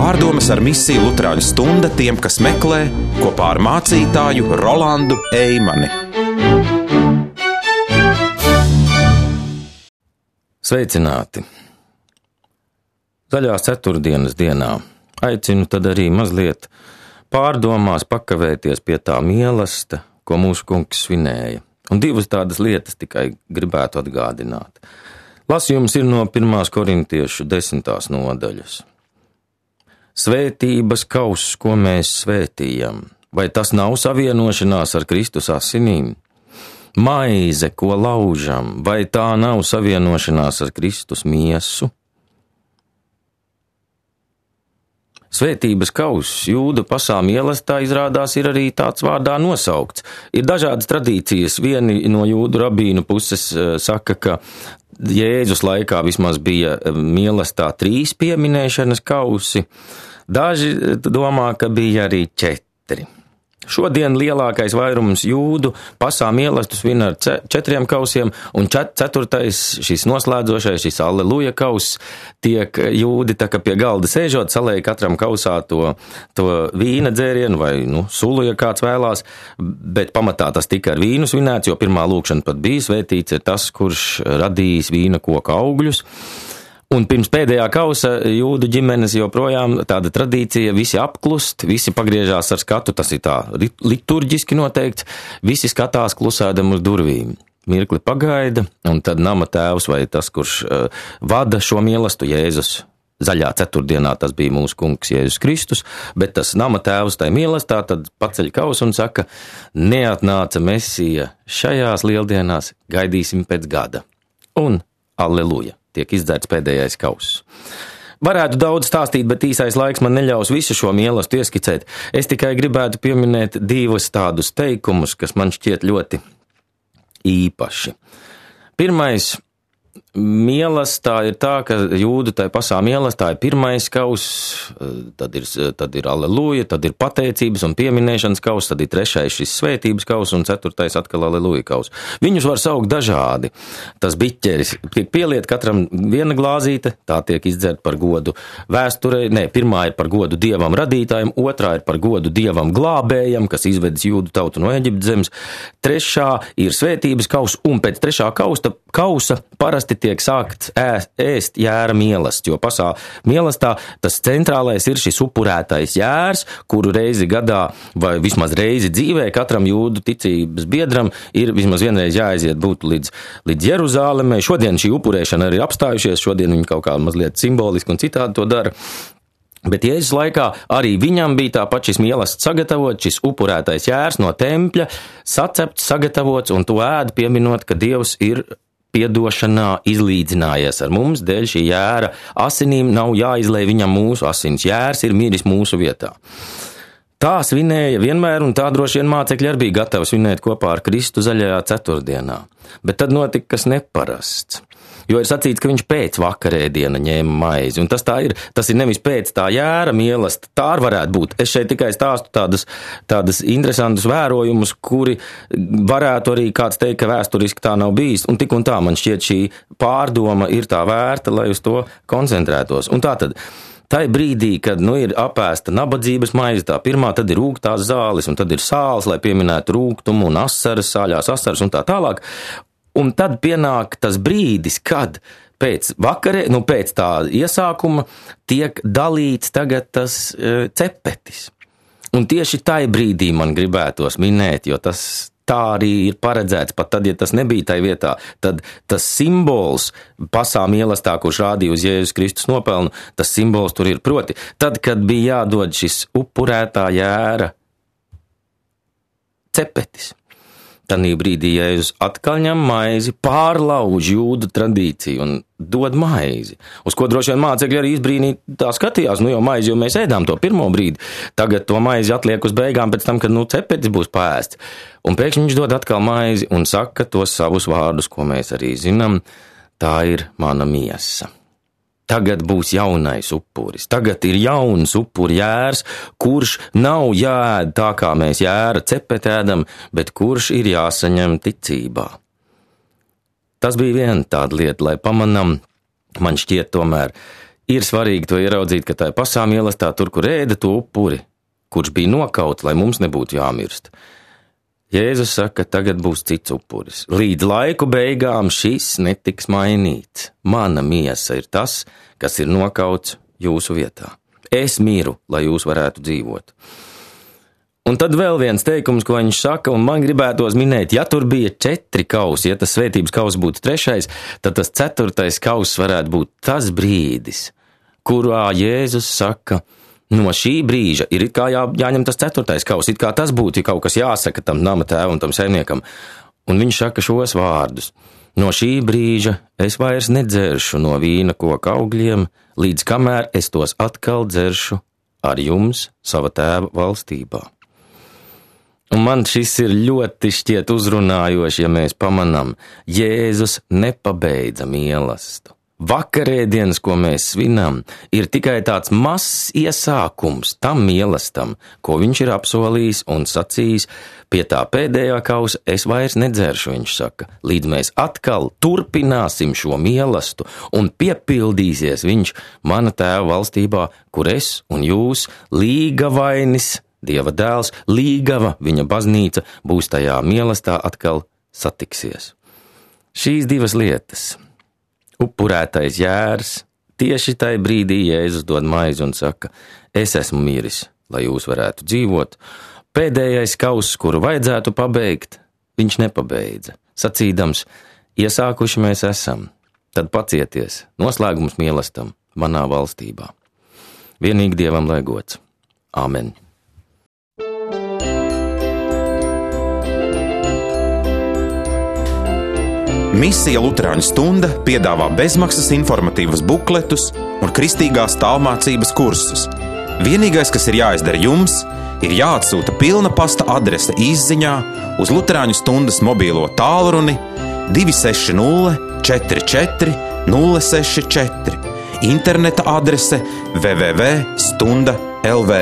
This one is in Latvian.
Pārdomas ar misiju Luterāņu stunda tiem, kas meklē, kopā ar mācītāju Rolandu Eimani. Sveicināti! Zaļās ceturtdienas dienā aicinu tad arī mazliet pārdomās pakavēties pie tā mīlesta, ko mūsu kungs svinēja. Un divas tādas lietas tikai gribētu atgādināt. Lasījums ir no 1. korintiešu 10. nodaļas. Svētības kauss, ko mēs svētījam, vai tas nav savienošanās ar Kristus asinīm? Maize, ko laužam, vai tā nav savienošanās ar Kristus miesu? Svētības kauss Jūdu pasā mīlestā izrādās ir arī tāds vārdā nosaukts. Ir dažādas tradīcijas. Vieni no Jūdu rabīnu puses saka, ka Jēzus laikā vismaz bija mīlestā 3 pieminēšanas kausi. Daži domā, ka bija arī 4. Šodien lielākais vairums Jūdu pasā mīlestus svin ar 4 kausiem, un 4. šis noslēdzošais, šis Alleluja kauss, tiek Jūdi tā kā pie galda sēžot, salēja katram kausā to vīna dzērienu vai sulu, ja kāds vēlās, bet pamatā tas tika ar vīnu svinēts, jo pirmā lūkšana pat bija svētīts ir tas, kurš radījis vīna koka augļus. Un pirms pēdējā kausa Jūdu ģimenes joprojām tāda tradīcija, visi apklust, visi pagriežās ar skatu, tas ir tā liturģiski noteikts, visi skatās klusēdam uz durvīm. Mirkli pagaida, un tad nama tēvs vai tas, kurš vada šo mielastu Jēzus. Zaļā ceturtdienā tas bija mūsu kungs Jēzus Kristus, bet tas nama tēvs tai mīlestā tad paceļ kausu un saka, neatnāca Mesija šajās lieldienās, gaidīsim pēc gada. Un Alleluja! Tiek izdzerts pēdējais kauss. Varētu daudz stāstīt, bet īsais laiks man neļaus visu šo mīlestību ieskicēt. Es tikai gribētu pieminēt 2 tādus teikumus, kas man šķiet ļoti īpaši. Pirmais, mīlestā ir tā, ka Jūdu tai pasā mīlestā ir pirmais kauss, tad ir Alleluja, tad ir pateicības un pieminēšanas kauss, tad ir 3. šis svētības kauss un 4. atkal Alleluja kauss. Viņus var saukt dažādi. Tas biķeris tiek pieliet katram viena glāzīte, tā tiek izdzerta par godu vēsturei. Pirmā ir par godu Dievam radītājiem, otrā ir par godu Dievam glābējam, kas izvedis Jūdu tautu no Eģiptes zemes. 3. ir svētības kauss, un pēc 3. kausa parasti tiek sākts ēst jēra mielasts, jo pasā mielastā tas centrālais ir šis upurētais jērs, kuru reizi gadā vai vismaz reizi dzīvē katram Jūdu ticības biedram ir vismaz vienreiz jāaiziet būt līdz Jeruzālemei. Šodien šī upurēšana arī apstājušies, šodien viņi kaut kā mazliet simboliski un citādi to dara. Bet Jēzus laikā arī viņam bija tāpat šis mielasts sagatavots, šis upurētais jērs no tempļa, sacepts, sagatavots, un to ēd pieminot, ka Dievs ir piedošanā izlīdzinājies ar mums, dēļ šī jēra asinīm nav jāizlej viņam mūsu asins. Jērs ir miris mūsu vietā. Tā svinēja vienmēr, un tā droši vien mācekļi arī bija gatavi svinēt kopā ar Kristu zaļajā ceturtdienā. Bet tad notika kas neparasts. Jo ir sacīts, ka viņš pēc vakarēdiena ņēma maizi, un tas tā ir. Tas ir nevis pēc tā jēra mīlesta, tā varētu būt. Es šeit tikai stāstu tādas interesantus vērojumus, kuri varētu arī kāds teikt, ka vēsturiski tā nav bijis, un tik un tā man šķiet šī pārdoma ir tā vērta, lai uz to koncentrētos. Un tā tad, tai brīdī, kad ir apēsta nabadzības maize, tā pirmā, tad ir rūgtās zāles, un tad ir sāls, lai pieminētu rūgtumu un asaras, sāļās asaras un tā tālāk. Un tad pienāk tas brīdis, kad pēc tā iesākuma tiek dalīts tagad tas cepetis. Un tieši tai brīdī man gribētos minēt, jo tas tā arī ir paredzēts, pat tad, ja tas nebija tai vietā, tad tas simbols pasā mīlestā, kurš rādīja uz Jēzus Kristus nopelnu, tas simbols tur ir proti. Tad, kad bija jādod šis upurētā jēra cepetis, tanī brīdī Jēzus atkal ņem maizi, pārlauž Jūdu tradīciju un dod maizi. Uz ko droši vien mācekļi arī izbrīnītā skatījās, jau maizi, jo mēs ēdām to pirmo brīdi. Tagad to maizi atliek uz beigām pēc tam, kad cepetis būs pēsts. Un pēkšņi viņš dod atkal maizi un saka tos savus vārdus, ko mēs arī zinām, tā ir mana miesa. Tagad būs jaunais upuris, tagad ir jauns upuri jērs, kurš nav jāēd tā, kā mēs jēra cepeti ēdam, bet kurš ir jāsaņem ticībā. Tas bija viena tāda lieta, lai pamanam, man šķiet tomēr, Ir svarīgi to ieraudzīt, ka tā pašā mīlestībā, tur, kur ēda to upuri, kurš bija nokauts, lai mums nebūtu jāmirst. Jēzus saka, ka tagad būs cits upuris. Līdz laiku beigām šis netiks mainīts. Mana miesa ir tas, kas ir nokauts jūsu vietā. Es miru, lai jūs varētu dzīvot. Un tad vēl viens teikums, ko viņš saka, un man gribētos minēt, ja tur bija 4 kausi, ja tas svētības kauss būtu 3, tad tas 4. kauss varētu būt tas brīdis, kurā Jēzus saka, no šī brīža ir it kā jāņem tas 4. kauss, it kā tas būtu kaut kas jāsaka tam nama tēvam, tam saimniekam. Un viņš saka šos vārdus. No šī brīža es vairs nedzeršu no vīna koka augļiem, līdz kamēr es tos atkal dzeršu ar jums sava tēva valstībā. Un man šis ir ļoti šķiet uzrunājoši, ja mēs pamanām, Jēzus nepabeidza mīlestību. Vakarēdienas, ko mēs svinam, ir tikai tāds mazs iesākums tam mīlestam, ko viņš ir apsolījis un sacījis, pie tā pēdējā kausa es vairs nedzeršu, viņš saka, līdz mēs atkal turpināsim šo mīlestību un piepildīsies viņš mana tēva valstībā, kur es un jūs līgavainis, Dieva dēls, līgava, viņa baznīca būs tajā mīlestībā atkal satiksies. Šīs 2 lietas. Upurētais jērs, tieši tajā brīdī Jēzus dod maizi un saka, es esmu miris, lai jūs varētu dzīvot. Pēdējais kauss, kuru vajadzētu pabeigt, viņš nepabeidza. Sacīdams, iesākuši mēs esam, tad pacieties, noslēgums mīlestam manā valstībā. Vienīgi Dievam lai gods. Āmen. Misija Luterāņu stunda piedāvā bezmaksas informatīvus bukletus un kristīgās tālmācības kursus. Vienīgais, kas ir jāizdara jums, ir jāatsūta pilna pasta adrese īsziņā uz Luterāņu stundas mobīlo tālruni 260 44 064, interneta adrese www.stunda.lv.